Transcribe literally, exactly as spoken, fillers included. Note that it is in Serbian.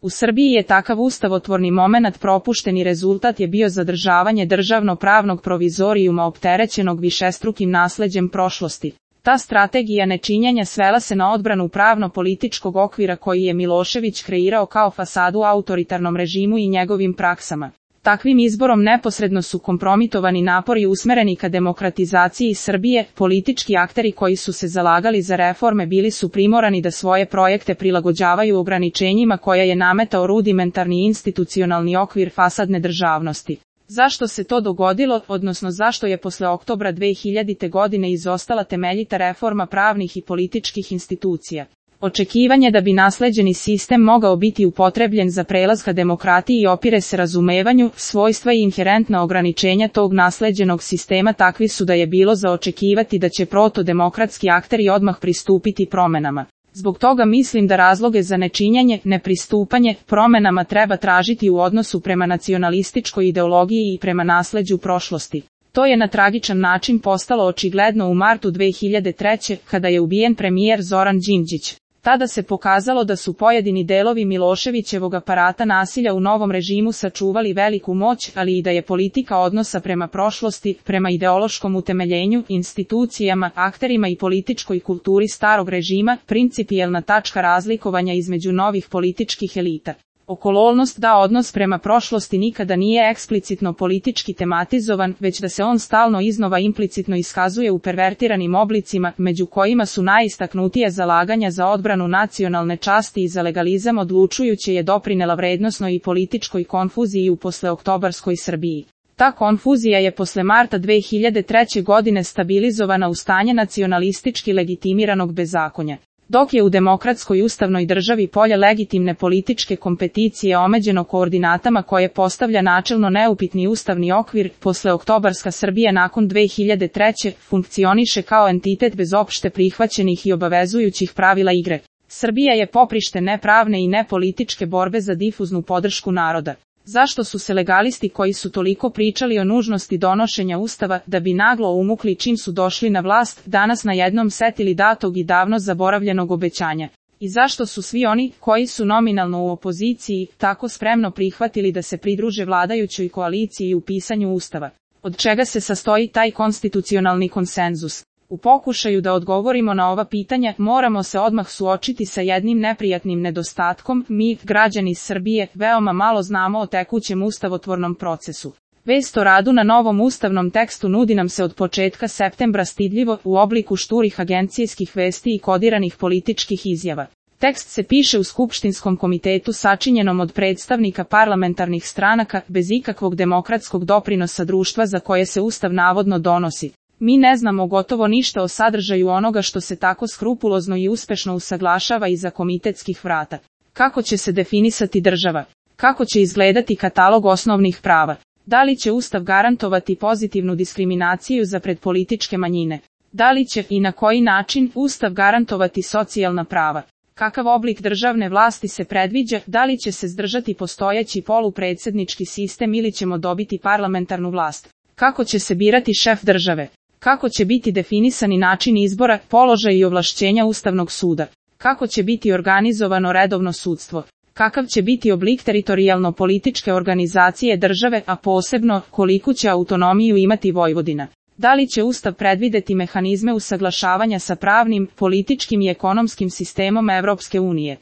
U Srbiji je takav ustavotvorni momenat propušten i rezultat je bio zadržavanje državno-pravnog provizorijuma opterećenog višestrukim nasleđem prošlosti. Ta strategija nečinjenja svela se na odbranu pravno-političkog okvira koji je Milošević kreirao kao fasadu autoritarnom režimu i njegovim praksama. Takvim izborom neposredno su kompromitovani napori usmereni ka demokratizaciji Srbije, politički akteri koji su se zalagali za reforme bili su primorani da svoje projekte prilagođavaju ograničenjima koja je nametao rudimentarni institucionalni okvir fasadne državnosti. Zašto se to dogodilo, odnosno zašto je posle oktobra dve hiljadite. godine izostala temeljita reforma pravnih i političkih institucija? Očekivanje da bi nasleđeni sistem mogao biti upotrebljen za prelaz ka demokratiji opire se razumevanju, svojstva i inherentna ograničenja tog nasleđenog sistema takvi su da je bilo za očekivati da će protodemokratski akteri odmah pristupiti promenama. Zbog toga mislim da razloge za nečinjenje, nepristupanje, promenama treba tražiti u odnosu prema nacionalističkoj ideologiji i prema nasleđu prošlosti. To je na tragičan način postalo očigledno u martu dve hiljade treće. kada je ubijen premijer Zoran Đinđić. Tada se pokazalo da su pojedini delovi Miloševićevog aparata nasilja u novom režimu sačuvali veliku moć, ali i da je politika odnosa prema prošlosti, prema ideološkom utemeljenju, institucijama, akterima i političkoj kulturi starog režima, principijelna tačka razlikovanja između novih političkih elita. Okolnost da odnos prema prošlosti nikada nije eksplicitno politički tematizovan, već da se on stalno iznova implicitno iskazuje u pervertiranim oblicima, među kojima su najistaknutije zalaganja za odbranu nacionalne časti i za legalizam odlučujuće je doprinela vrednosnoj i političkoj konfuziji u posleoktobarskoj Srbiji. Ta konfuzija je posle marta dve hiljade treće. godine stabilizovana u stanje nacionalistički legitimiranog bezakonja. Dok je u demokratskoj ustavnoj državi polje legitimne političke kompeticije omeđeno koordinatama koje postavlja načelno neupitni ustavni okvir, posleoktobarska Srbija nakon dve hiljade treće. funkcioniše kao entitet bez opšte prihvaćenih i obavezujućih pravila igre. Srbija je poprište nepravne i nepolitičke borbe za difuznu podršku naroda. Zašto su se legalisti koji su toliko pričali o nužnosti donošenja ustava, da bi naglo umukli čim su došli na vlast, danas na jednom setili datog i davno zaboravljenog obećanja? I zašto su svi oni, koji su nominalno u opoziciji, tako spremno prihvatili da se pridruže vladajućoj koaliciji u pisanju ustava? Od čega se sastoji taj konstitucionalni konsenzus? U pokušaju da odgovorimo na ova pitanja, moramo se odmah suočiti sa jednim neprijatnim nedostatkom. Mi, građani Srbije, veoma malo znamo o tekućem ustavotvornom procesu. Vest o radu na novom ustavnom tekstu nudi nam se od početka septembra stidljivo, u obliku šturih agencijskih vesti i kodiranih političkih izjava. Tekst se piše u Skupštinskom komitetu sačinjenom od predstavnika parlamentarnih stranaka, bez ikakvog demokratskog doprinosa društva za koje se ustav navodno donosi. Mi ne znamo gotovo ništa o sadržaju onoga što se tako skrupulozno i uspešno usaglašava iza komitetskih vrata. Kako će se definisati država? Kako će izgledati katalog osnovnih prava? Da li će ustav garantovati pozitivnu diskriminaciju za predpolitičke manjine? Da li će i na koji način ustav garantovati socijalna prava? Kakav oblik državne vlasti se predviđa? Da li će se zdržati postojeći polupredsjednički sistem ili ćemo dobiti parlamentarnu vlast? Kako će se birati šef države? Kako će biti definisani način izbora, položaj i ovlašćenja Ustavnog suda? Kako će biti organizovano redovno sudstvo? Kakav će biti oblik teritorijalno-političke organizacije države, a posebno, koliku će autonomiju imati Vojvodina? Da li će Ustav predvideti mehanizme usaglašavanja sa pravnim, političkim i ekonomskim sistemom Evropske unije?